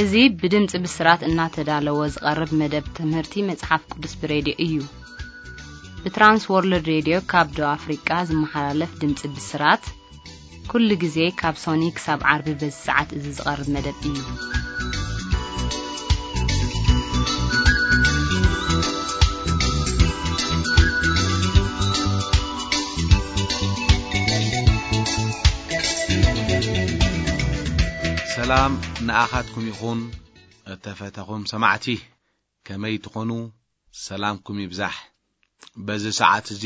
እዚ ብድምጺ ብስራት እናተዳለወ ዝቐርብ መደብ ትምህርቲ መጽሓፍ ቅዱስ ብሬድዮ እዩ። ብትራንስ ወርልድ ሬድዮ ካብ ደቡብ ኣፍሪቃ ዝመሓላለፍ ድምጺ ብስራት፣ ኩሉ ግዜ ካብ ሶኒ ክሳብ ዓርቢ በዚ ሰዓት እዚ ዝቐርብ መደብ እዩ። ሰላም ንኣኻትኩም ይኹን፣ እተፈተኹም ሰማዕቲ። ከመይ ትኾኑ? ሰላምኩም ይብዛሕ። በዚ ሰዓት እዚ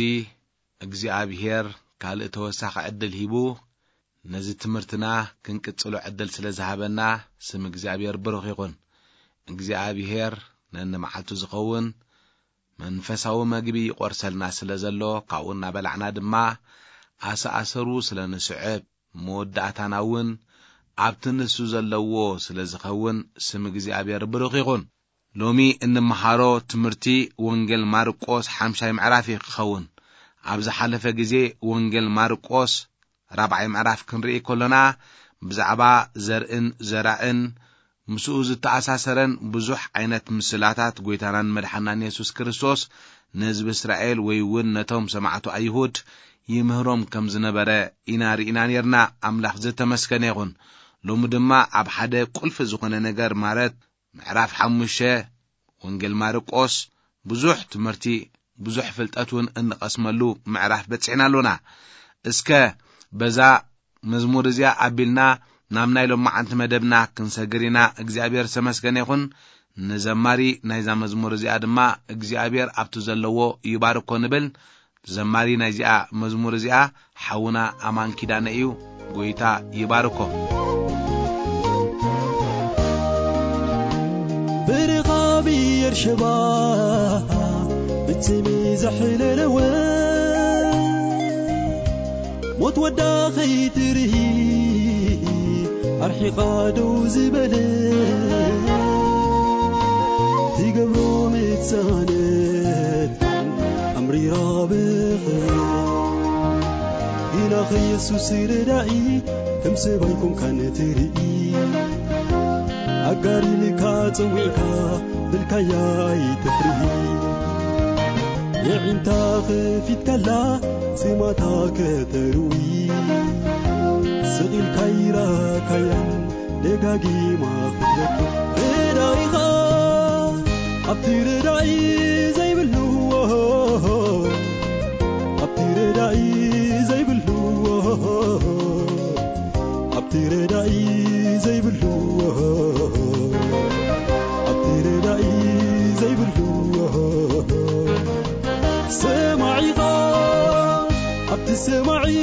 እግዚኣብሄር ካልእ ተወሳኺ ዕድል ሂቡ፣ ነዚ ትምህርትና ክንቅጽሎ ዕድል ስለ ዝሃበና፣ ስም እግዚኣብሄር ብሩኽ ይኹን። እግዚኣብሄር ነንመዓልቱ ዝኸውን መንፈሳዊ መግቢ ይቖርሰልና ስለ ዘሎ፣ ካብኡ እናበላዕና ድማ ኣሰኣሰሩ ስለ ንስዕብ፣ መወዳእታና እውን ኣብቲ ንሱ ዘለዎ ስለ ዝኸውን፣ ስም እግዚኣብሔር ብሩኽ ይኹን። ሎሚ እንመሃሮ ትምህርቲ ወንጌል ማርቆስ ሓምሻይ ምዕራፍ እዩ ክኸውን። ኣብ ዝሓለፈ ግዜ ወንጌል ማርቆስ ራብዓይ ምዕራፍ ክንርኢ ከሎና፣ ብዛዕባ ዘርእን ዘራእን ምስኡ ዝተኣሳሰረን ብዙሕ ዓይነት ምስላታት ጎይታናን መድሓናን የሱስ ክርስቶስ ንህዝቢ እስራኤል ወይ እውን ነቶም ሰማዕቱ ኣይሁድ ይምህሮም ከም ዝነበረ ኢና ርኢና ነርና። ኣምላኽ ዝተመስገነ ይኹን። ሎሚ ድማ ኣብ ሓደ ቁልፊ ዝኾነ ነገር ማለት ምዕራፍ ሓሙሽተ ወንጌል ማርቆስ ብዙሕ ትምህርቲ፣ ብዙሕ ፍልጠት እውን እንቐስመሉ ምዕራፍ በጺሕና ኣሎና። እስከ በዛ መዝሙር እዚኣ ኣቢልና ናብ ናይ ሎማዓንቲ መደብና ክንሰግር ኢና። እግዚኣብሔር ዝተመስገነ ይኹን። ንዘማሪ ናይዛ መዝሙር እዚኣ ድማ እግዚኣብሔር ኣብቲ ዘለዎ ይባርኮ ንብል። ዘማሪ ናይዚኣ መዝሙር እዚኣ ሓውና ኣማን ኪዳነ እዩ። ጎይታ ይባርኮ። ብርኻ ብኤርሸባ ብትሚ ዘሕለለወ፣ ሞት ወዳ ኸይትርኢ ኣርሒቓ ደው ዝበለ፣ ትገብሮ ምትሳነት ኣምሪራ ብኽብሪ። ግና ኸየሱስ ረዳኢ ከም ሰብ ኣይኮንካን ትርኢ። ኣጋር ኢልካ ጸዊዕካ ብልካያ ኣይትፍርሂ። የዒንታ ኸፊትካላ ጽማታ ከተርዊ። ስቕ ኢልካ ይራካያን ደጋጊማ ክትረክብ። ረዳኢኻ ኣብቲ ረዳኢ ዘይብሉ፣ ኣብቲ ረዳኢ ዘይብሉ፣ ኣብቲ ረዳኢ ዘይብሉ፣ ኣብቲ ረዳኢ ዘይብሉ፣ ሰማዒኻ ኣብቲ ሰማዒ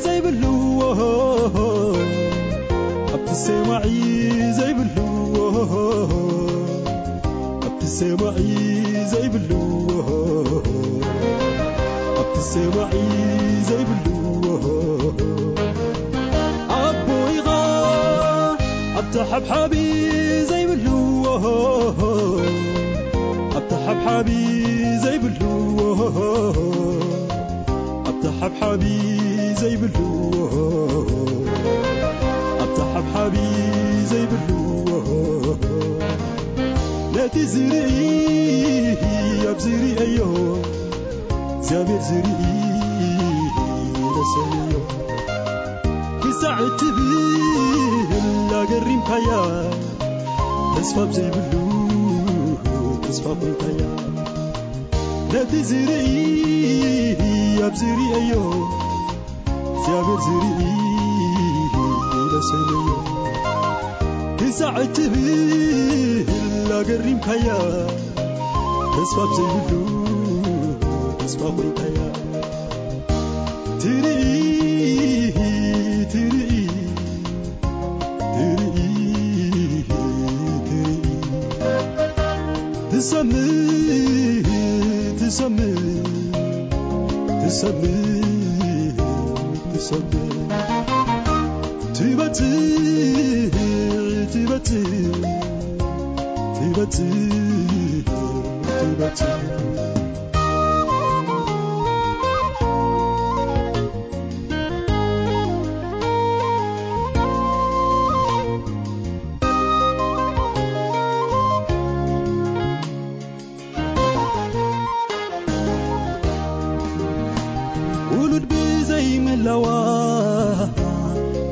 ዘይብሉ፣ ኣብቲ ሰማዒ ዘይብሉ፣ ኣብቲ ሰማዒ ዘይብሉ፣ ኣብቲ ሰማዒ ዘይብሉ፣ ኣቦ ኢኻ ኣብቲ ሓብሓቢ ዘይብሉ፣ ኣብቲ ሓብሓቢ ዘይብሉ፣ ኣብቲ ሓብሓቢ ዘይብሉ፣ ኣብቲ ሓብሓቢ ዘይብሉ፣ ነቲ ዝርኢ ኣብ ዝርእዮ፣ እግዚኣብሔር ዝርኢ ለሰንዮ። ክሳዕ እትብል ኣገሪምካያ፣ ተስፋ ኣብ ዘይብሉ ተስፋ ኮይንካያ። ነቲ ዝርኢ ኣብ ዝርእዮ፣ እግዚኣብሔር ዝርኢ ለሰንዮ። ክሳዕ እትብል ኣገሪምካያ፣ ተስፋ ኣብ ዘይብሉ ተስፋ ኮይንካያ። ትርኢ፣ ትርኢ፣ ትርኢ፣ ትርኢ። ትሰምዕ፣ ትሰምዕ፣ ትሰምዕ፣ ትሰምዕ። ትበጽሕ፣ ትበጽሕ፣ ትበጽሕ፣ ትበጽሕ።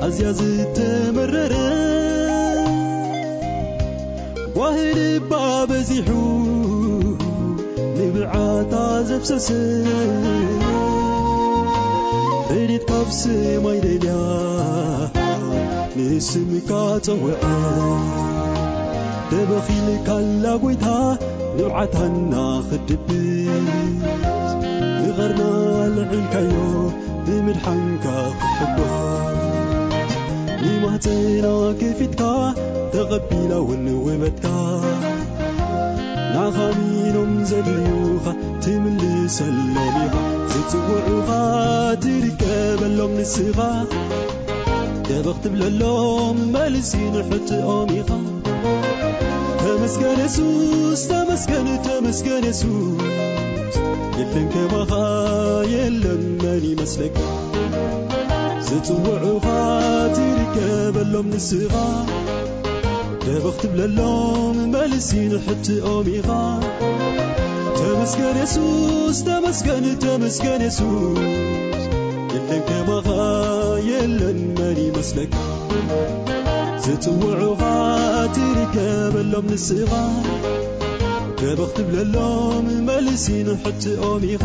ኣዝያ ዝተመረረ ጓሂ ልባ በዚሑ ንብዓታ ዘፍሰሰ ረድኤት ካብ ሰማይ ደልያ ንስምካ ጸውዐ ደበኺልካላ ጎይታ ንብዓታና ክድብስ ንቐርና ልዕልካዮ ብምድሓንካ ክሕጎስ ንማህፀና ከፊትካ ተቐቢላ እውን ውበትካ ናኻ ሚኖም ዘድልዩኻ ትምልሰሎም ኢኻ ዝፅውዑኻ ትርከበሎም ንስኻ ደበኽ ትብለሎም መልሲ ንሕትኦም ኢኻ ተመስገን የሱስ ተመስገን ተመስገን የሱስ የለን ከማኻ የለን መን ይመስለካ ዝፅውዑኻ ትርከበሎም ንስኻ ደበኽ ትብለሎም መልሲ ንሕትኦም ኢኻ ተመስገን የሱስ ተመስገን ተመስገን የሱስ የለን ከማኻ የለን መን ይመስለካ ዝፅውዑኻ ትርከበሎም ንስኻ ደበኽ ትብለሎም መልሲ ንሕትኦም ኢኻ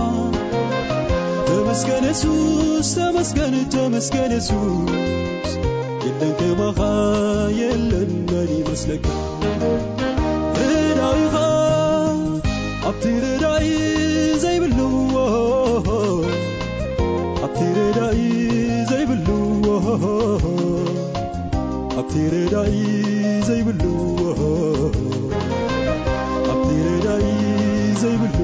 ተመስገን የሱስ ተመስገን ተመስገን የሱስ የለን ከማኻ የለን መን ይመስለካ ረዳኢኻ ኣብቲ ረዳኢ ዘይብሉ ኣብቲ ረዳኢ ዘይብሉ ኣብቲ ረዳኢ ዘይብሉ ኣብቲ ረዳኢ ዘይብሉ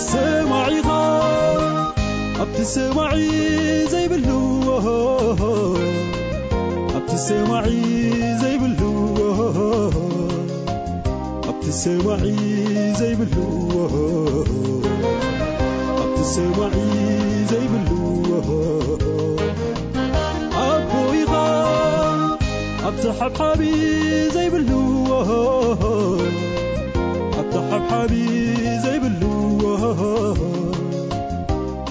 ሰማዒኻ ኣብቲ ሰማዒ ዘይብሉ ኣብቲ ሰማዒ ዘይብሉ ኣብቲ ሰማዒ ዘይብሉ ኣብቲ ሰማዒ ዘይብሉ ኣቦ ኢኻ ኣብቲ ሓብሓቢ ዘይብሉ ኣብቲ ሓብሓቢ ዘይብሉ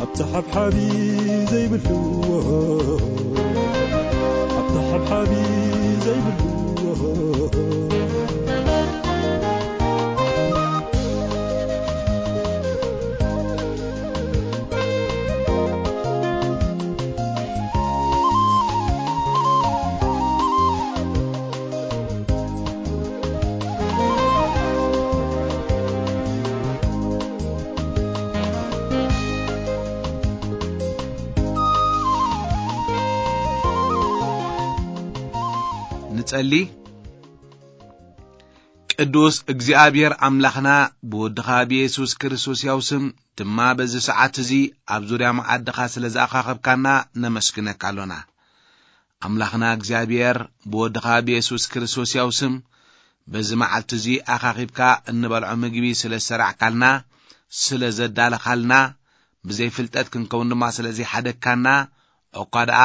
ኣብቲ ሓብሓቢ ዘይብሉ ኣብቲ ሓብሓቢ ዘይብሉ ንጸሊ። ቅዱስ እግዚኣብሔር ኣምላኽና ብወድኻ ብየሱስ ክርስቶስ ያው ስም ድማ በዚ ሰዓት እዚ ኣብ ዙርያ መዓድኻ ስለ ዝኣኻኸብካና ነመስግነካ ኣሎና። ኣምላኽና እግዚኣብሔር ብወድኻ ብየሱስ ክርስቶስ ያው ስም በዚ መዓልቲ እዚ ኣኻኺብካ እንበልዖ ምግቢ ስለ ዝሰራዕካልና ስለ ዘዳለኻልና ብዘይፍልጠት ክንከውን ድማ ስለ ዘይሓደግካና እኳ ደኣ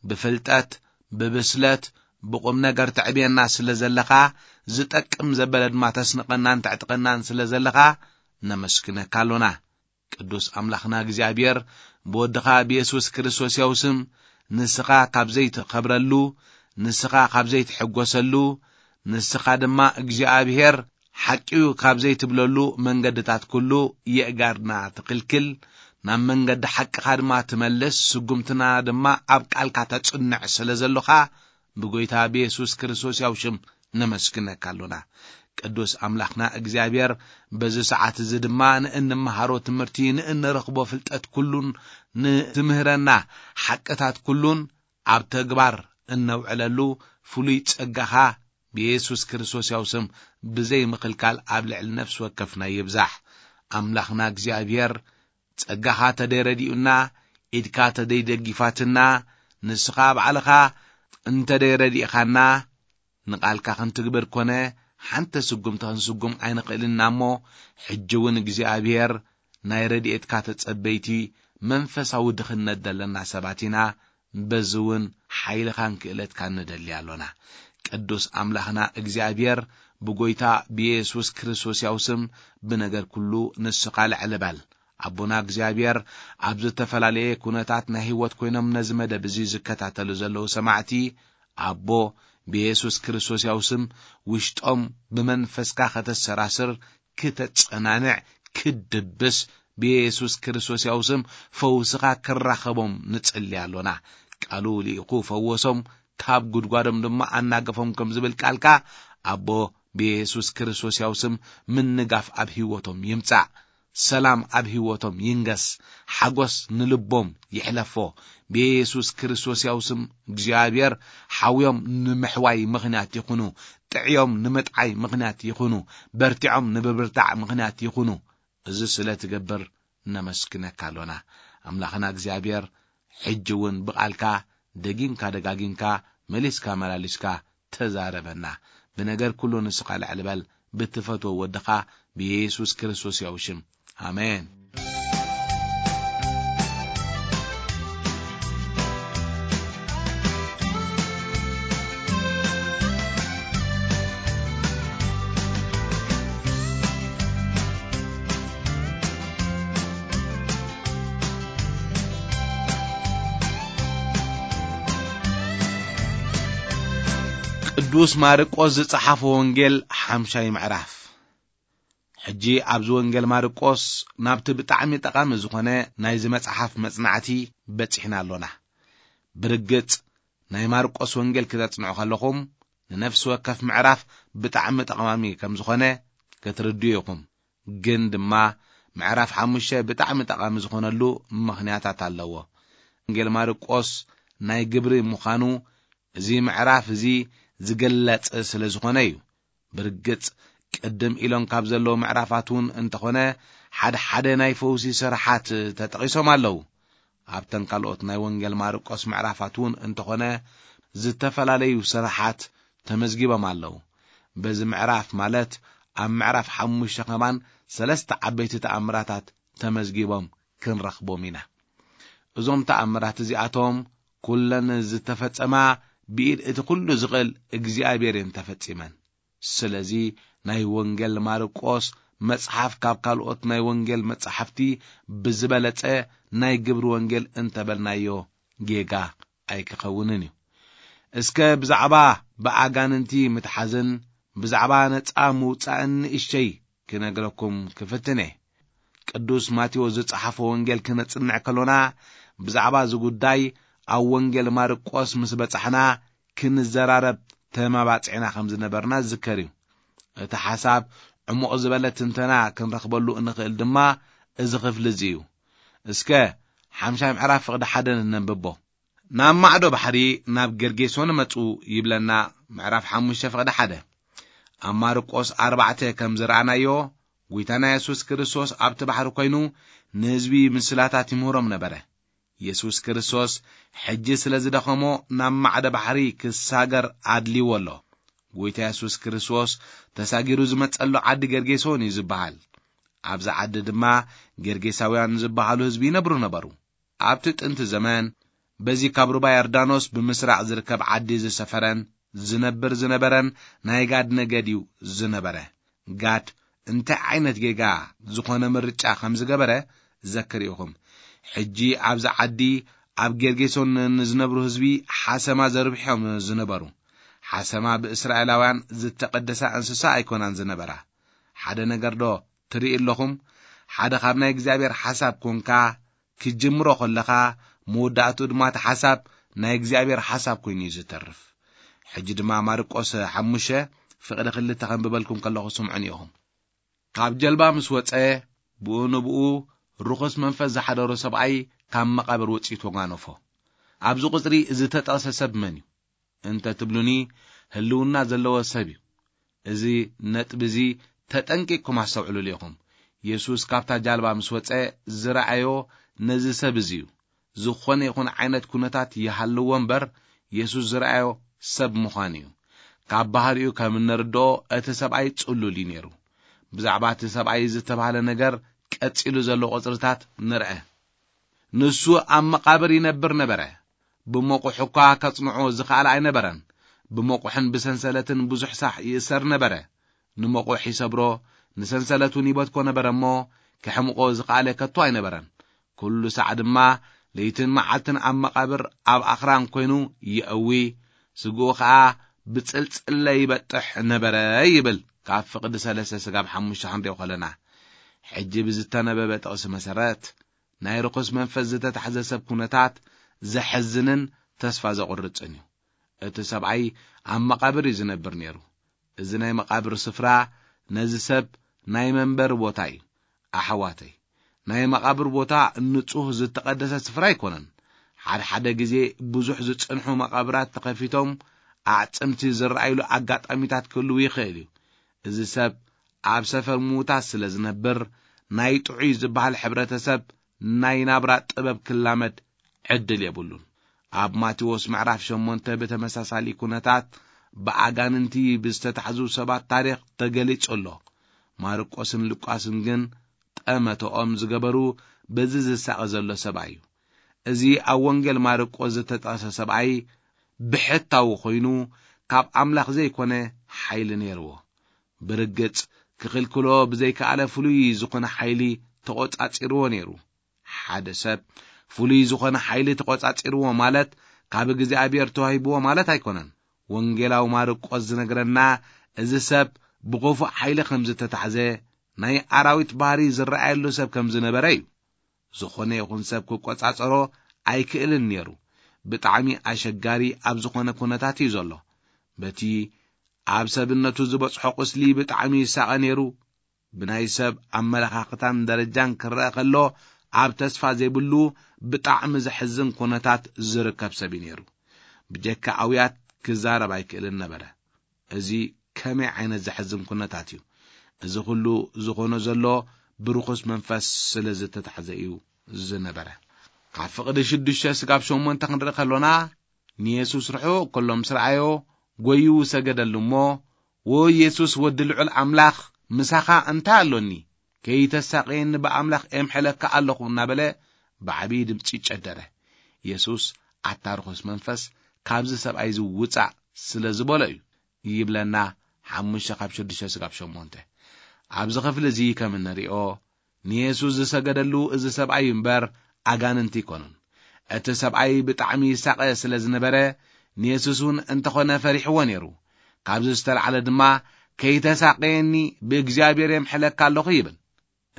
ብፍልጠት ብብስለት ብቁም ነገር ተዕብየና ስለ ዘለኻ ዝጠቅም ዘበለ ድማ ተስንቐናን ተዕጥቐናን ስለ ዘለኻ ነመስግነካ ኣሎና። ቅዱስ ኣምላኽና እግዚኣብሔር ብወድኻ ብየሱስ ክርስቶስ ያው ስም ንስኻ ካብ ዘይትኸብረሉ ንስኻ ካብ ዘይትሕጎሰሉ ንስኻ ድማ እግዚኣብሔር ሓቂዩ ካብ ዘይትብለሉ መንገድታት ኩሉ የእጋርና ትኽልክል ናብ መንገዲ ሓቅኻ ድማ ትመልስ ስጉምትና ድማ ኣብ ቃልካ ተጽንዕ ስለ ዘሎኻ ብጎይታ ብየሱስ ክርስቶስ ያው ሽም ነመስግነካ ኣሎና። ቅዱስ ኣምላኽና እግዚኣብሔር በዚ ሰዓት እዚ ድማ ንእንመሃሮ ትምህርቲ ንእንረኽቦ ፍልጠት ኩሉን ንትምህረና ሓቅታት ኩሉን ኣብ ተግባር እነውዕለሉ ፍሉይ ጸጋኻ ብየሱስ ክርስቶስ ያው ስም ብዘይ ምኽልካል ኣብ ልዕሊ ነፍሲ ወከፍና ይብዛሕ። ኣምላኽና እግዚኣብሔር ጸጋኻ ተደይ ረዲኡና ኢድካ ተደይ ደጊፋትና ንስኻ ባዕልኻ እንተደይ ረዲእኻና ንቓልካ ክንትግብር ኮነ ሓንቲ ስጉምቲ ክንስጉም ኣይንኽእልና እሞ ሕጂ እውን እግዚኣብሔር ናይ ረድኤትካ ተጸበይቲ መንፈሳዊ ድኽነት ዘለና ሰባት ኢና። በዚ እውን ሓይልኻን ክእለትካን ንደሊ ኣሎና። ቅዱስ ኣምላኽና እግዚኣብሔር ብጎይታ ብየሱስ ክርስቶስ ያው ስም ብነገር ኩሉ ንስኻ ልዕሊ በል። ኣቦና እግዚኣብሔር ኣብ ዝተፈላለየ ኩነታት ናይ ህይወት ኮይኖም ነዚ መደብ እዚ ዝከታተሉ ዘለዉ ሰማዕቲ፣ ኣቦ፣ ብየሱስ ክርስቶስ ያው ስም ውሽጦም ብመንፈስካ ከተሰራስር፣ ክተጸናንዕ፣ ክድብስ፣ ብየሱስ ክርስቶስ ያው ስም ፈውስኻ ክራኸቦም ንጽሊ ኣሎና። ቃሉ ልኢኹ ፈወሶም፣ ካብ ጉድጓዶም ድማ ኣናገፎም ከም ዝብል ቃልካ፣ ኣቦ፣ ብየሱስ ክርስቶስ ያው ስም ምንጋፍ ኣብ ህይወቶም ይምጻእ። ሰላም ኣብ ህይወቶም ይንገስ። ሓጎስ ንልቦም ይሕለፎ። ብየሱስ ክርስቶስ ያው ስም እግዚኣብሔር ሓውዮም ንምሕዋይ ምኽንያት ይኹኑ። ጥዕዮም ንምጥዓይ ምኽንያት ይኹኑ። በርቲዖም ንብብርታዕ ምኽንያት ይኹኑ። እዚ ስለ ትገብር ነመስግነካ ኣሎና። ኣምላኽና እግዚኣብሔር ሕጂ እውን ብቓልካ ደጊምካ ደጋጊምካ መሊስካ መላሊስካ ተዛረበና። ብነገር ኩሉ ንስኻ ልዕል በል፣ ብትፈትዎ ወድኻ ብየሱስ ክርስቶስ ያው ሽም። ኣሜን። ቅዱስ ማርቆስ ዝጸሓፎ ወንጌል ሓምሻይ ምዕራፍ። ሕጂ ኣብዚ ወንጌል ማርቆስ ናብቲ ብጣዕሚ ጠቓሚ ዝኾነ ናይዚ መጽሓፍ መጽናዕቲ በጺሕና ኣሎና። ብርግጽ ናይ ማርቆስ ወንጌል ክተጽንዑ ከለኹም ንነፍሲ ወከፍ ምዕራፍ ብጣዕሚ ጠቓሚ ከም ዝኾነ ክትርድኡ ኢኹም። ግን ድማ ምዕራፍ ሓሙሽተ ብጣዕሚ ጠቓሚ ዝኾነሉ ምኽንያታት ኣለዎ። ወንጌል ማርቆስ ናይ ግብሪ ምዃኑ እዚ ምዕራፍ እዚ ዝገለጸ ስለ ዝኾነ እዩ። ብርግጽ ቅድም ኢሎም ካብ ዘለዉ ምዕራፋት እውን እንተኾነ ሓደ ሓደ ናይ ፈውሲ ስራሓት ተጠቒሶም ኣለዉ። ኣብተን ካልኦት ናይ ወንጌል ማርቆስ ምዕራፋት እውን እንተኾነ ዝተፈላለዩ ስራሓት ተመዝጊቦም ኣለዉ። በዚ ምዕራፍ ማለት ኣብ ምዕራፍ ሓሙሽተ ከማን ሰለስተ ዓበይቲ ተኣምራታት ተመዝጊቦም ክንረኽቦም ኢና። እዞም ተኣምራት እዚኣቶም ኩለን ዝተፈጸማ ብኢድ እቲ ኩሉ ዝኽእል እግዚኣብሔር እየን ተፈጺመን። ስለዚ ናይ ወንጌል ማርቆስ መጽሓፍ ካብ ካልኦት ናይ ወንጌል መጻሕፍቲ ብዝበለጸ ናይ ግብሪ ወንጌል እንተበልናዮ ጌጋ ኣይክኸውንን እዩ። እስከ ብዛዕባ ብኣጋንንቲ ምትሓዝን ብዛዕባ ነጻ ምውጻእን ንእሽተይ ክነግረኩም ክፍትን እየ። ቅዱስ ማቴዎስ ዝጸሓፎ ወንጌል ክነጽንዕ ከሎና ብዛዕባ እዚ ጉዳይ ኣብ ወንጌል ማርቆስ ምስ በጻሕና ክንዘራረብ ተመባጺዕና ከም ዝነበርና ዝዝከር እዩ። እቲ ሓሳብ ዕሙቕ ዝበለ ትንተና ክንረኽበሉ እንኽእል ድማ እዚ ክፍሊ እዚ እዩ። እስከ ሓምሻይ ምዕራፍ ፍቕዲ ሓደ ነንብቦ። ናብ ማዕዶ ባሕሪ ናብ ገርጌሶን መጹ ይብለና ምዕራፍ ሓሙሽተ ፍቕዲ ሓደ። ኣብ ማርቆስ ኣርባዕተ ከም ዝረኣናዮ፣ ጐይታና የሱስ ክርስቶስ ኣብቲ ባሕሪ ኮይኑ ንህዝቢ ምስላታት ይምህሮም ነበረ። የሱስ ክርስቶስ ሕጂ ስለ ዝደኸሞ ናብ ማዕዶ ባሕሪ ክሳገር ኣድልይዎ ኣሎ። ጐይታ የሱስ ክርስቶስ ተሳጊሩ ዝመጸሉ ዓዲ ገርጌሶን እዩ ዝበሃል። ኣብዚ ዓዲ ድማ ገርጌሳውያን ዝበሃሉ ህዝቢ ይነብሩ ነበሩ። ኣብቲ ጥንቲ ዘመን በዚ ካብ ሩባ ዮርዳኖስ ብምስራቕ ዝርከብ ዓዲ ዝሰፈረን ዝነብር ዝነበረን ናይ ጋድ ነገድ እዩ ዝነበረ። ጋድ እንታይ ዓይነት ጌጋ ዝኾነ ምርጫ ከም ዝገበረ ዘክር ኢኹም። ሕጂ ኣብዚ ዓዲ ኣብ ጌርጌሶን ንዝነብሩ ህዝቢ ሓሰማ ዘርብሖም ዝነበሩ። ሓሰማ ብእስራኤላውያን ዝተቐደሳ እንስሳ ኣይኮናን ዝነበራ። ሓደ ነገር ዶ ትርኢ ኣለኹም? ሓደ ካብ ናይ እግዚኣብሔር ሓሳብ ኮንካ ክትጅምሮ ከለኻ፣ መወዳእትኡ ድማ እቲ ሓሳብ ናይ እግዚኣብሔር ሓሳብ ኮይኑ እዩ ዝተርፍ። ሕጂ ድማ ማርቆስ ሓሙሽተ ፍቕዲ ክልተ ከንብበልኩም ከለኹ ስምዑን ኢኹም። ካብ ጀልባ ምስ ወጸ፣ ብኡ ንብኡ ርኹስ መንፈስ ዝሓደሮ ሰብኣይ ካብ መቓብር ወጺኡ ተጓነፎ። ኣብዚ ቁጽሪ ዝተጠቕሰ ሰብ መን እዩ? እንተ ትብሉኒ፣ ህልውና ዘለዎ ሰብ እዩ። እዚ ነጥቢ እዚ ተጠንቂቕኩም ኣስተውዕሉሉ ኢኹም። የሱስ ካብታ ጃልባ ምስ ወጸ ዝረኣዮ ነዚ ሰብ እዚ እዩ። ዝኾነ ይኹን ዓይነት ኩነታት ይሃልዎ እምበር፣ የሱስ ዝረኣዮ ሰብ ምዃኑ እዩ። ካብ ባህሪኡ ከም እንርድኦ፣ እቲ ሰብኣይ ጽሉል እዩ ነይሩ። ብዛዕባ እቲ ሰብኣይ ዝተባህለ ነገር ቀጺሉ ዘሎ ቁጽርታት ንርአ። ንሱ ኣብ መቓብር ይነብር ነበረ። ብመቑሕ እኳ ከጽንዖ ዝኸኣለ ኣይነበረን። ብመቑሕን ብሰንሰለትን ብዙሕ ሳሕ ይእሰር ነበረ። ንመቑሕ ይሰብሮ፣ ንሰንሰለት እውን ይበትኮ ነበረ እሞ፣ ክሕምቆ ዝኸኣለ ከቶ ኣይነበረን። ኩሉ ሳዕ ድማ ለይትን መዓልትን ኣብ መቓብር ኣብ ኣኽራን ኮይኑ ይእዊ፣ ስግኡ ኸኣ ብጽልጽለ ይበጥሕ ነበረ ይብል። ካብ ፍቕዲ ሰለስተ ስጋብ ሓሙሽተ ክንሪኦ ከለና፣ ሕጂ ብዝተነበበ ጥቕሲ መሰረት፣ ናይ ርኹስ መንፈስ ዝተታሕዘ ሰብ ኩነታት ዘሕዝንን ተስፋ ዘቑርጽን እዩ። እቲ ሰብኣይ ኣብ መቓብር እዩ ዝነብር ነይሩ። እዚ ናይ መቓብር ስፍራ ነዚ ሰብ ናይ መንበሪ ቦታ እዩ። ኣሕዋተይ፣ ናይ መቓብር ቦታ ንጹህ ዝተቐደሰ ስፍራ ኣይኮነን። ሓደ ሓደ ግዜ ብዙሕ ዝጸንሑ መቓብራት ተኸፊቶም ኣዕጽምቲ ዝረኣይሉ ኣጋጣሚታት ክህልው ይኽእል እዩ። እዚ ሰብ ኣብ ሰፈር ምዉታት ስለ ዝነብር፣ ናይ ጥዑይ ዝበሃል ሕብረተሰብ ናይ ናብራ ጥበብ ክላመድ ዕድል የብሉን። ኣብ ማቴዎስ ምዕራፍ ሸሞንተ ብተመሳሳሊ ኩነታት ብኣጋንንቲ ብዝተታሕዙ ሰባት ታሪኽ ተገሊጹ ኣሎ። ማርቆስን ሉቃስን ግን ጠመተኦም ዝገበሩ በዚ ዝሳቐ ዘሎ ሰብኣይ እዩ። እዚ ኣብ ወንጌል ማርቆስ ዝተጠቕሰ ሰብኣይ ብሕታዊ ኮይኑ፣ ካብ ኣምላኽ ዘይኮነ ሓይሊ ነይርዎ። ብርግጽ፣ ክኽልክሎ ብዘይከኣለ ፍሉይ ዝኾነ ሓይሊ ተቖጻጺርዎ ነይሩ። ሓደ ሰብ ፍሉይ ዝኾነ ሓይሊ ተቖጻጺርዎ ማለት ካብ እግዚኣብሔር ተዋሂብዎ ማለት ኣይኮነን። ወንጌላዊ ማርቆስ ዝነግረና፣ እዚ ሰብ ብኽፉእ ሓይሊ ከም ዝተታሕዘ፣ ናይ ኣራዊት ባህሪ ዝረኣየሉ ሰብ ከም ዝነበረ እዩ። ዝኾነ ይኹን ሰብ ክቆጻጸሮ ኣይክእልን ነይሩ። ብጣዕሚ ኣሸጋሪ ኣብ ዝኾነ ኩነታት እዩ ዘሎ። በቲ ኣብ ሰብነቱ ዝበጽሖ ቁስሊ ብጣዕሚ ይሳቐ ነይሩ። ብናይ ሰብ ኣመለኻኽታን ደረጃን ክረአ ከሎ፣ ኣብ ተስፋ ዘይብሉ ብጣዕሚ ዘሕዝን ኩነታት ዝርከብ ሰብ እዩ ነይሩ። ብጀካ ኣውያት ክዛረብ ኣይክእልን ነበረ። እዚ ከመይ ዓይነት ዘሕዝን ኩነታት እዩ! እዚ ኩሉ ዝኾኖ ዘሎ ብርኹስ መንፈስ ስለ ዝተታሕዘ እዩ ዝነበረ። ካብ ፍቕዲ ሽዱሽተ ስጋብ ሸሞንተ ክንርኢ ከሎና፣ ንየሱስ ርሑቕ ከሎ ምስ ረኣዮ፣ ጐይዩ ሰገደሉ እሞ፣ "ዎይ የሱስ ወዲ ልዑል ኣምላኽ፣ ምሳኻ እንታይ ኣሎኒ? ከይተሳቕየኒ ብኣምላኽ ኤምሐለካ ኣለኹ" እናበለ ብዓብዪ ድምጺ ጨደረ። የሱስ፣ "ኣታ ርኹስ መንፈስ፣ ካብዚ ሰብኣይ እዚ ውጻእ" ስለ ዝበሎ እዩ ይብለና። ሓሙሽተ ካብ ሽዱሽተ ስጋብ ሸሞንተ። ኣብዚ ክፍሊ እዚ ከም እንሪኦ፣ ንየሱስ ዝሰገደሉ እዚ ሰብኣይ እምበር ኣጋንንቲ ኣይኮኑን። እቲ ሰብኣይ ብጣዕሚ ይሳቐ ስለ ዝነበረ፣ ንየሱስ እውን እንተኾነ ፈሪሕዎ ነይሩ። ካብዚ ዝተላዕለ ድማ፣ "ከይተሳቐየኒ ብእግዚኣብሔር የምሕለካ ኣለኹ" ይብል።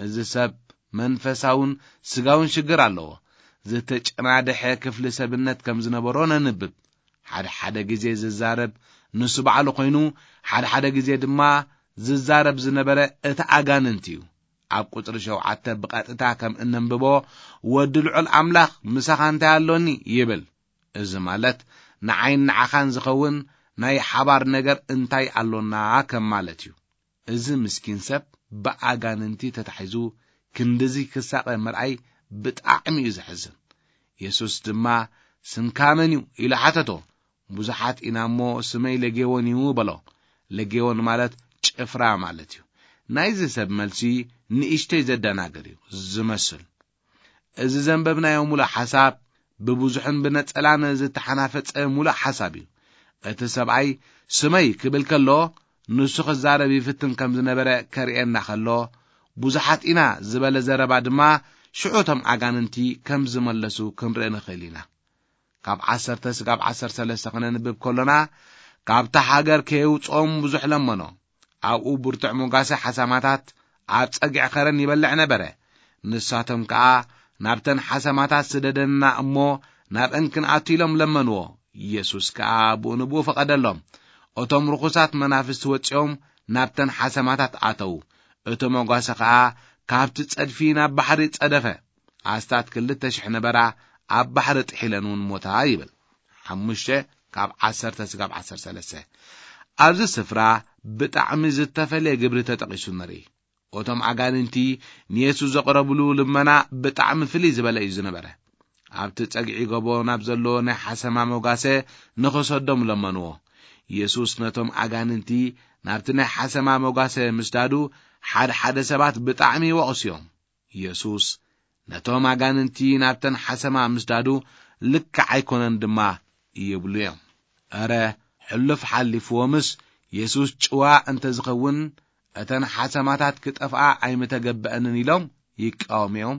እዚ ሰብ መንፈሳውን ስጋውን ሽግር ኣለዎ። ዝተጨናደሐ ክፍሊ ሰብነት ከም ዝነበሮ ነንብብ። ሓደ ሓደ ግዜ ዝዛረብ ንሱ ባዕሉ ኮይኑ፣ ሓደ ሓደ ግዜ ድማ ዝዛረብ ዝነበረ እቲ ኣጋንንቲ እዩ። ኣብ ቁጽሪ ሸውዓተ ብቐጥታ ከም እነንብቦ፣ "ወዲ ልዑል ኣምላኽ ምሳኻ እንታይ ኣሎኒ?" ይብል። እዚ ማለት ንዓይን ንዓኻን ዝኸውን ናይ ሓባር ነገር እንታይ ኣሎና ከም ማለት እዩ። እዚ ምስኪን ሰብ ብኣጋንንቲ ተታሒዙ ክንድዚ ክሳቐ ምርኣይ ብጣዕሚ እዩ ዘሕዝን። የሱስ ድማ፣ "ስምካ መን እዩ?" ኢሉ ሓተቶ። "ብዙሓት ኢና እሞ ስመይ ለጌዎን እዩ" በሎ። ለጌዎን ማለት ጭፍራ ማለት እዩ። ናይዚ ሰብ መልሲ ንእሽተይ ዘደናግር እዩ ዝመስል። እዚ ዘንበብናዮ ሙሉእ ሓሳብ ብብዙሕን ብነጸላን ዝተሓናፈጸ ሙሉእ ሓሳብ እዩ። እቲ ሰብኣይ "ስመይ" ክብል ከሎ፣ ንሱ ክዛረብ ይፍትን ከም ዝነበረ ከርእየና ከሎ፣ "ብዙሓት ኢና" ዝበለ ዘረባ ድማ ሽዑ እቶም ኣጋንንቲ ከም ዝመለሱ ክንርኢ ንኽእል ኢና። ካብ ዓሰርተ ስጋብ ዓሰርተ ሰለስተ ክነንብብ ከሎና፣ "ካብታ ሃገር ከየውጽኦም ብዙሕ ለመኖ። ኣብኡ ብርቱዕ መጓሰ ሓሳማታት ኣብ ጸግዒ ኸረን ይበልዕ ነበረ። ንሳቶም ከኣ፣ 'ናብተን ሓሰማታት ስደደና እሞ ናብአን ክንኣቱ' ኢሎም ለመንዎ። የሱስ ከኣ ብኡ ንብኡ ፈቐደሎም። እቶም ርኹሳት መናፍስቲ ወጺኦም ናብተን ሓሰማታት ኣተዉ። እቲ መጓሰ ከኣ ካብቲ ጸድፊ ናብ ባሕሪ ጸደፈ። ኣስታት ክልተ ሽሕ ነበራ፣ ኣብ ባሕሪ ጥሒለን እውን ሞታ" ይብል። ሓሙሽተ ካብ ዓሰርተ ስጋብ ዓሰርተ ሰለስተ። ኣብዚ ስፍራ ብጣዕሚ ዝተፈለየ ግብሪ ተጠቒሱ ንርኢ። እቶም ኣጋንንቲ ንየሱስ ዘቕረብሉ ልመና ብጣዕሚ ፍልይ ዝበለ እዩ ዝነበረ። ኣብቲ ጸግዒ ጎቦ ናብ ዘሎ ናይ ሓሰማ መጓሰ ንኽሰዶም ለመንዎ። የሱስ ነቶም ኣጋንንቲ ናብቲ ናይ ሓሰማ መጓሰ ምስዳዱ፣ ሓደ ሓደ ሰባት ብጣዕሚ ይወቕሱ እዮም። የሱስ ነቶም ኣጋንንቲ ናብተን ሓሰማ ምስዳዱ ልክዕ ኣይኮነን ድማ ይብሉ እዮም። እረ፣ ሕሉፍ ሓሊፍዎምስ የሱስ ጭዋ እንተ ዝኸውን፣ እተን ሓሰማታት ክጠፍኣ ኣይምተገበአንን ኢሎም ይቃወሙ እዮም።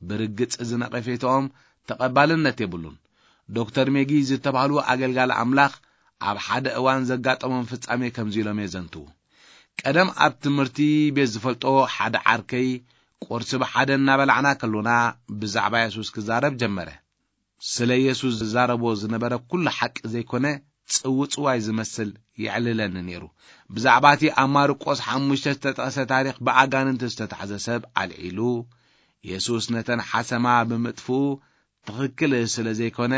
ብርግጽ እዚ ነቐፌታኦም ተቐባልነት የብሉን። ዶክተር ሜጊ ዝተባህሉ ኣገልጋሊ ኣምላኽ ኣብ ሓደ እዋን ዘጋጠሞም ፍጻሜ ከምዚ ኢሎም የዘንትዉ። ቀደም ኣብ ትምህርቲ ቤት ዝፈልጦ ሓደ ዓርከይ ቁርሲ ብሓደ እናበላዕና ከሎና ብዛዕባ የሱስ ክዛረብ ጀመረ። ስለ የሱስ ዝዛረቦ ዝነበረ ኩሉ ሓቂ ዘይኮነ ጽውጽዋይ ዝመስል የዕልለኒ ነይሩ። ብዛዕባ እቲ ኣብ ማርቆስ ሓሙሽተ ዝተጠቕሰ ታሪኽ ብኣጋንንቲ ዝተታሕዘ ሰብ ኣልዒሉ፣ የሱስ ነተን ሓሰማ ብምጥፍኡ ትኽክል ስለ ዘይኮነ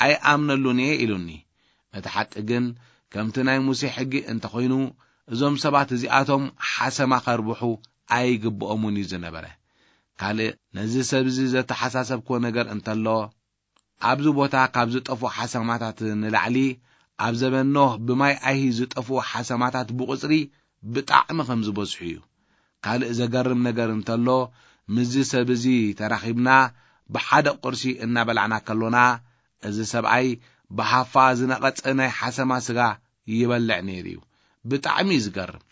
ኣይኣምነሉን እየ ኢሉኒ። እቲ ሓቂ ግን ከምቲ ናይ ሙሴ ሕጊ እንተኾይኑ እዞም ሰባት እዚኣቶም ሓሰማ ከርብሑ ኣይግብኦምን እዩ ዝነበረ። ካልእ ነዚ ሰብ እዚ ዘተሓሳሰብክዎ ነገር እንተሎ፣ ኣብዚ ቦታ ካብ ዝጠፍኡ ሓሰማታት ንላዕሊ ኣብ ዘበን ኖህ ብማይ ኣይሂ ዝጠፍኡ ሓሰማታት ብቑጽሪ ብጣዕሚ ከም ዝበዝሑ እዩ። ካልእ ዘገርም ነገር እንተሎ፣ ምስዚ ሰብ እዚ ተራኺብና ብሓደ ቁርሲ እናበላዕና ከሎና፣ እዚ ሰብኣይ ብሃፋ ዝነቐጸ ናይ ሓሰማ ስጋ ይበልዕ ነይሩ እዩ። ብጣዕሚ እዩ ዝገርም።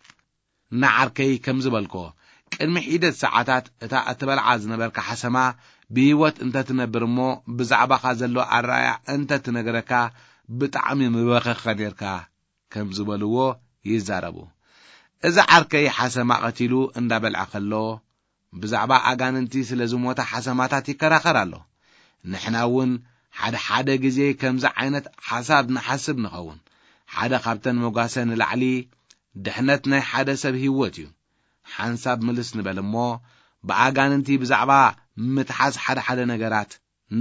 ንዓርከይ ከም ዝበልኮ፣ ቅድሚ ሒደት ሰዓታት እታ እትበልዓ ዝነበርካ ሓሰማ ብህይወት እንተትነብር እሞ ብዛዕባኻ ዘሎ ኣረኣያ እንተትነግረካ ብጣዕሚ ምበኸኸ ነርካ ከም ዝበልዎ ይዛረቡ። እዚ ዓርከይ ሓሰማ ቀቲሉ እንዳበልዐ ከሎ ብዛዕባ ኣጋንንቲ ስለ ዝሞታ ሓሰማታት ይከራኸር ኣሎ። ንሕና እውን ሓደ ሓደ ግዜ ከምዚ ዓይነት ሓሳብ ንሓስብ ንኸውን። ሓደ ካብተን መጓሰ ንላዕሊ ድሕነት ናይ ሓደ ሰብ ህይወት እዩ። ሓንሳብ ምልስ ንበል እሞ ብኣጋንንቲ ብዛዕባ ምትሓዝ ሓደ ሓደ ነገራት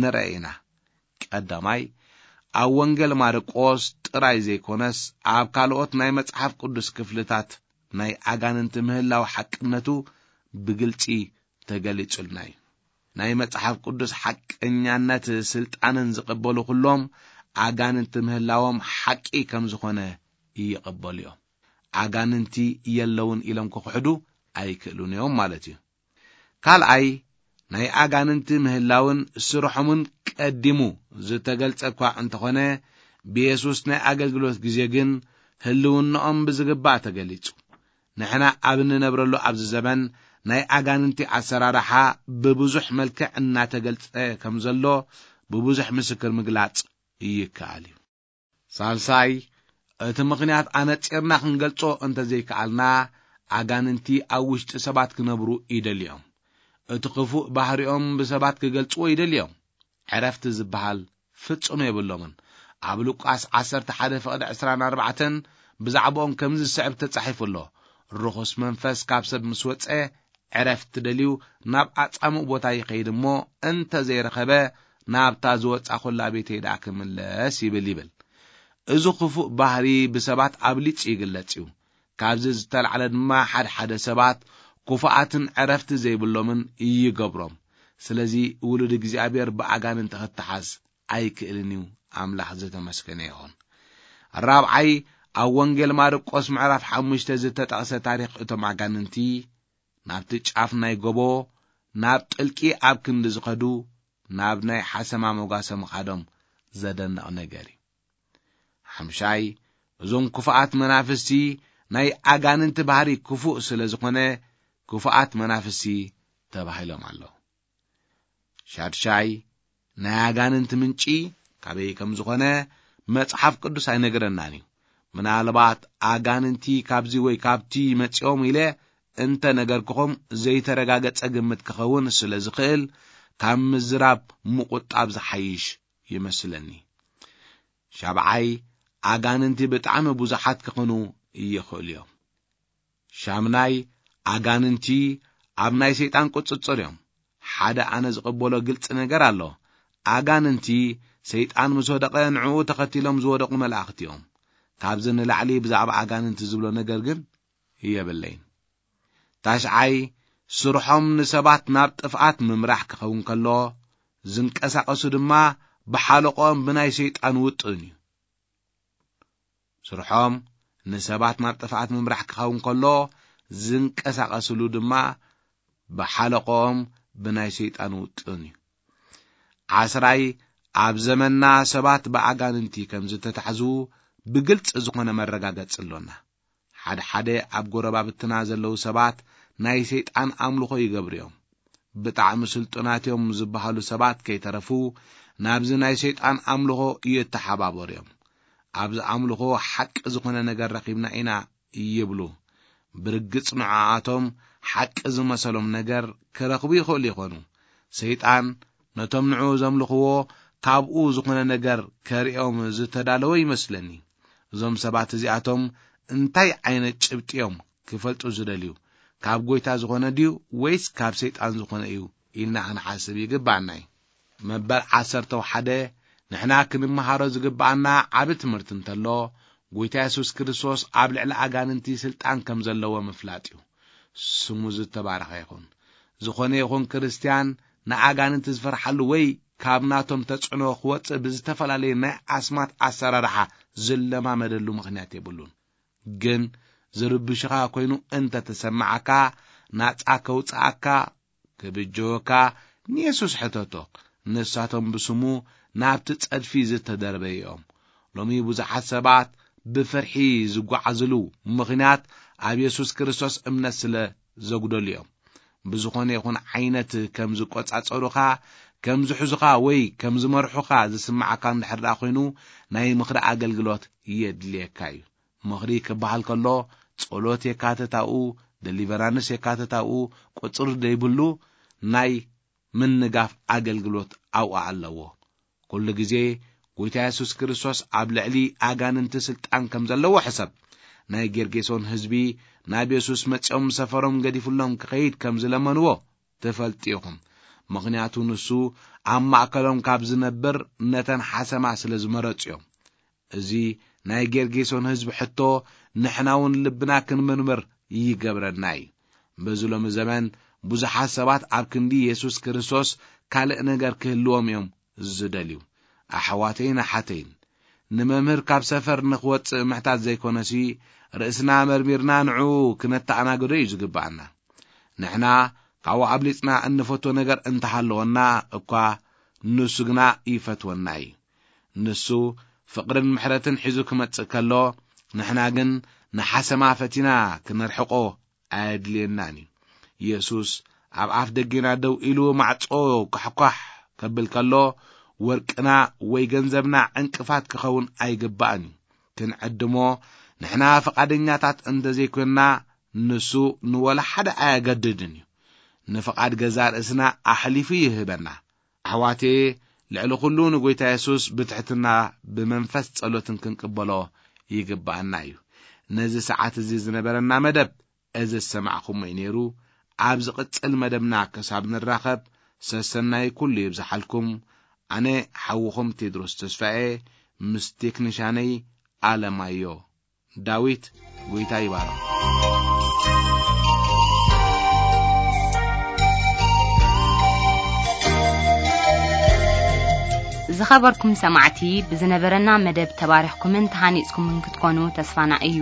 ንርኢ ኢና። ቀዳማይ፣ ኣብ ወንጌል ማርቆስ ጥራይ ዘይኮነስ ኣብ ካልኦት ናይ መጽሓፍ ቅዱስ ክፍልታት ናይ ኣጋንንቲ ምህላው ሓቅነቱ ብግልጺ ተገሊጹልና እዩ። ናይ መጽሓፍ ቅዱስ ሓቀኛነት ስልጣንን ዝቕበሉ ኩሎም ኣጋንንቲ ምህላዎም ሓቂ ከም ዝኾነ ይቕበሉ እዮም። ኣጋንንቲ የለውን ኢሎም ክኽሕዱ ኣይክእሉን እዮም ማለት እዩ። ካልኣይ፣ ናይ ኣጋንንቲ ምህላውን ስርሖምን ቀዲሙ ዝተገልጸ እኳ እንተኾነ፣ ብየሱስ ናይ ኣገልግሎት ግዜ ግን ህልውናኦም ብዝግባእ ተገሊጹ። ንሕና ኣብ እንነብረሉ ኣብዚ ዘበን ናይ ኣጋንንቲ ኣሰራርሓ ብብዙሕ መልክዕ እናተገልጸ ከም ዘሎ ብብዙሕ ምስክር ምግላጽ ይከኣል እዩ። ሳልሳይ፣ እቲ ምኽንያት ኣነጺርና ክንገልጾ እንተዘይከኣልና፣ ኣጋንንቲ ኣብ ውሽጢ ሰባት ክነብሩ ይደልዮም። እቲ ክፉእ ባህሪኦም ብሰባት ክገልጽዎ ይደልዮም። ዕረፍቲ ዝበሃል ፍጹም የብሎምን። ኣብ ሉቃስ ዓሰርተ ሓደ ፍቕዲ ዕስራን ኣርባዕተን ብዛዕባኦም ከምዚ ዝስዕብ ተጻሒፉ ኣሎ። ርኹስ መንፈስ ካብ ሰብ ምስ ወጸ፣ ዕረፍቲ ደልዩ ናብ ኣጻምእ ቦታ ይኸይድ እሞ፣ እንተ ዘይረኸበ፣ ናብታ ዝወጻኹላ ቤተይ ደኣ ክምለስ ይብል፣ ይብል። እዚ ክፉእ ባህሪ ብሰባት ኣብሊጹ ይግለጽ እዩ። ካብዚ ዝተላዕለ ድማ ሓድሓደ ሰባት ክፉኣትን ዕረፍቲ ዘይብሎምን ይገብሮም። ስለዚ ውሉድ እግዚኣብሔር ብኣጋንንቲ ክተሓዝ ኣይክእልን እዩ። ኣምላኽ ዝተመስገነ ይኹን። ራብዓይ፣ ኣብ ወንጌል ማርቆስ ምዕራፍ ሓሙሽተ ዝተጠቕሰ ታሪኽ እቶም ኣጋንንቲ ናብቲ ጫፍ ናይ ጎቦ፣ ናብ ጥልቂ ኣብ ክንዲ ዝኸዱ፣ ናብ ናይ ሓሰማ መጓሰ ምኻዶም ዘደንቕ ነገር እዩ። ሓምሻይ፣ እዞም ክፉኣት መናፍስቲ ናይ ኣጋንንቲ ባህሪ ክፉእ ስለ ዝኾነ፣ ክፉኣት መናፍስቲ ተባሂሎም ኣለዉ። ሻድሻይ፣ ናይ ኣጋንንቲ ምንጪ ካበይ ከም ዝኾነ መጽሓፍ ቅዱስ ኣይነገረናን እዩ። ምናልባት ኣጋንንቲ ካብዚ ወይ ካብቲ መጺኦም ኢለ እንተ ነገርክኹም ዘይተረጋገጸ ግምት ክኸውን ስለ ዝኽእል፣ ካብ ምዝራብ ምቑጣብ ዝሓይሽ ይመስለኒ። ሻብዓይ፣ ኣጋንንቲ ብጣዕሚ ብዙሓት ክኾኑ ይኽእሉ እዮም። ሻምናይ፣ ኣጋንንቲ ኣብ ናይ ሰይጣን ቁጽጽር እዮም። ሓደ ኣነ ዝቕበሎ ግልጺ ነገር ኣሎ። ኣጋንንቲ ሰይጣን ምስ ወደቐ ንዕኡ ተኸቲሎም ዝወደቑ መላእኽቲ እዮም። ካብዚ ንላዕሊ ብዛዕባ ኣጋንንቲ ዝብሎ ነገር ግን የብለይን። ታሽዓይ፣ ስርሖም ንሰባት ናብ ጥፍኣት ምምራሕ ክኸውን ከሎ፣ ዝንቀሳቐሱ ድማ ብሓለቆም ብናይ ሰይጣን ውጥን እዩ። ስርሖም ንሰባት ናብ ጥፍኣት ምምራሕ ክኸውን ከሎ፣ ዝንቀሳቐስሉ ድማ ብሓለቆም ብናይ ሰይጣን ውጥን እዩ። ዓስራይ፣ ኣብ ዘመንና ሰባት ብኣጋንንቲ ከም ዝተታሕዙ ብግልጺ ዝኾነ መረጋገጺ ኣሎና። ሓደ ሓደ ኣብ ጎረባብትና ዘለዉ ሰባት ናይ ሰይጣን ኣምልኾ ይገብሩ እዮም። ብጣዕሚ ስልጡናት እዮም ዝበሃሉ ሰባት ከይተረፉ ናብዚ ናይ ሰይጣን ኣምልኾ ይተሓባበሩ እዮም። ኣብዚ ኣምልኾ ሓቂ ዝኾነ ነገር ረኺብና ኢና ይብሉ። ብርግጽ ንዕኣቶም ሓቂ ዝመሰሎም ነገር ክረኽቡ ይኽእሉ ይኾኑ። ሰይጣን ነቶም ንዕኡ ዘምልኽዎ ካብኡ ዝኾነ ነገር ከርእዮም ዝተዳለወ ይመስለኒ። እዞም ሰባት እዚኣቶም እንታይ ዓይነት ጭብጢ እዮም ክፈልጡ ዝደልዩ? ካብ ጎይታ ዝኾነ ድዩ ወይስ ካብ ሰይጣን ዝኾነ እዩ ኢልና ክንሓስብ ይግባኣና እዩ። መበል ዓሰርተ ሓደ ንሕና ክንመሃሮ ዝግባኣና ዓቢ ትምህርቲ እንተሎ፣ ጎይታ የሱስ ክርስቶስ ኣብ ልዕሊ ኣጋንንቲ ስልጣን ከም ዘለዎ ምፍላጥ እዩ። ስሙ ዝተባረኸ ይኹን። ዝኾነ ይኹን ክርስትያን ንኣጋንንቲ ዝፈርሓሉ ወይ ካብ ናቶም ተጽዕኖ ክወጽእ ብዝተፈላለየ ናይ ኣስማት ኣሰራርሓ ዝለማመደሉ ምኽንያት የብሉን። ግን ዝርብሽኻ ኮይኑ እንተ ተሰማዓካ፣ ናጻ ከውጽኣካ፣ ክብጀወካ ንየሱስ ሕተቶ። ንሳቶም ብስሙ ናብቲ ጸድፊ ዝተደርበዩ እዮም። ሎሚ ብዙሓት ሰባት ብፍርሒ ዝጓዓዝሉ ምኽንያት ኣብ የሱስ ክርስቶስ እምነት ስለ ዘጉደሉ እዮም። ብዝኾነ ይኹን ዓይነት ከም ዝቆጻጸሩኻ፣ ከም ዝሕዙኻ ወይ ከም ዝመርሑኻ ዝስምዓካ እንድሕር ደኣ ኮይኑ፣ ናይ ምኽሪ ኣገልግሎት የድልየካ እዩ። ምኽሪ ክበሃል ከሎ፣ ጸሎት የካትት ኣብኡ፣ ደሊቨራንስ የካትት ኣብኡ፣ ቁጽሪ ዘይብሉ ናይ ምንጋፍ ኣገልግሎት ኣብኡ ኣለዎ። ኩሉ ግዜ ጎይታ የሱስ ክርስቶስ ኣብ ልዕሊ ኣጋንንቲ ስልጣን ከም ዘለዎ ሕሰብ። ናይ ጌርጌሶን ህዝቢ ናብ የሱስ መጺኦም ሰፈሮም ገዲፉሎም ክኸይድ ከም ዝለመንዎ ትፈልጡ ኢኹም። ምኽንያቱ ንሱ ኣብ ማእከሎም ካብ ዝነብር ነተን ሓሰማ ስለ ዝመረጹ እዮም። እዚ ናይ ጌርጌሶን ህዝቢ ሕቶ ንሕና እውን ልብና ክንምርምር ይገብረና እዩ። በዚ ሎሚ ዘመን ብዙሓት ሰባት ኣብ ክንዲ የሱስ ክርስቶስ ካልእ ነገር ክህልዎም እዮም ዝደልዩ። ኣሕዋተይን ኣሓተይን፣ ንመምህር ካብ ሰፈር ንኽወጽእ ምሕታት ዘይኮነሲ፣ ርእስና መርሚርና ንዕኡ ክነተኣናግዶ እዩ ዝግብኣና። ንሕና ካብኡ ኣብሊጽና እንፈትዎ ነገር እንተሃለወና እኳ፣ ንሱ ግና ይፈትወና እዩ። ንሱ ፍቕርን ምሕረትን ሒዙ ክመጽእ ከሎ፣ ንሕና ግን ንሓሰማ ፈቲና ክንርሕቆ ኣየድልየናን እዩ። የሱስ ኣብ ኣፍ ደጌና ደው ኢሉ ማዕጾ ኳሕኳሕ ከብል ከሎ፣ ወርቅና ወይ ገንዘብና ዕንቅፋት ክኸውን ኣይግባእን እዩ። ክንዕድሞ ንሕና ፍቓደኛታት እንተ ዘይኮንና፣ ንሱ ንወላ ሓደ ኣየገድድን እዩ። ንፍቓድ ገዛእ ርእስና ኣሕሊፉ ይህበና። ኣሕዋቴ፣ ልዕሊ ኩሉ ንጎይታ የሱስ ብትሕትና ብመንፈስ ጸሎትን ክንቅበሎ ይግብኣና እዩ። ነዚ ሰዓት እዚ ዝነበረና መደብ እዚ ዝሰማዕኹሞ እዩ ነይሩ። ኣብ ዝቕጽል መደብና ክሳብ ንራኸብ፣ ሰሰናይ ኩሉ ይብዝሓልኩም። ኣነ ሓውኹም ቴድሮስ ተስፋኤ ምስ ቴክኒሻነይ ኣለማዮ ዳዊት። ጎይታ ይባርኽ። ዝኸበርኩም ሰማዕቲ፣ ብዝነበረና መደብ ተባሪኽኩምን ተሃኒጽኩምን ክትኮኑ ተስፋና እዩ።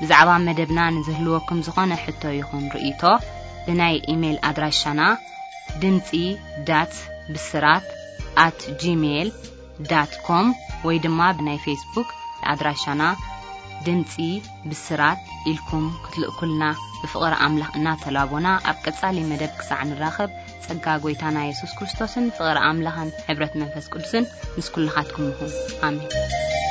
ብዛዕባ መደብና ንዝህልወኩም ዝኾነ ሕቶ ይኹን ርእይቶ፣ ብናይ ኢሜይል ኣድራሻና ድምጺ ዳት ብስራት ኣት ጂሜይል ዳት ኮም ወይ ድማ ብናይ ፌስቡክ ኣድራሻና ድምጺ ብስራት ኢልኩም ክትልእኩልና ብፍቕሪ ኣምላኽ እናተላቦና፣ ኣብ ቀጻሊ መደብ ክሳዕ ንራኸብ፣ ጸጋ ጎይታና የሱስ ክርስቶስን ፍቕሪ ኣምላኽን ሕብረት መንፈስ ቅዱስን ምስ ኩልኻትኩም ይኹን። ኣሜን።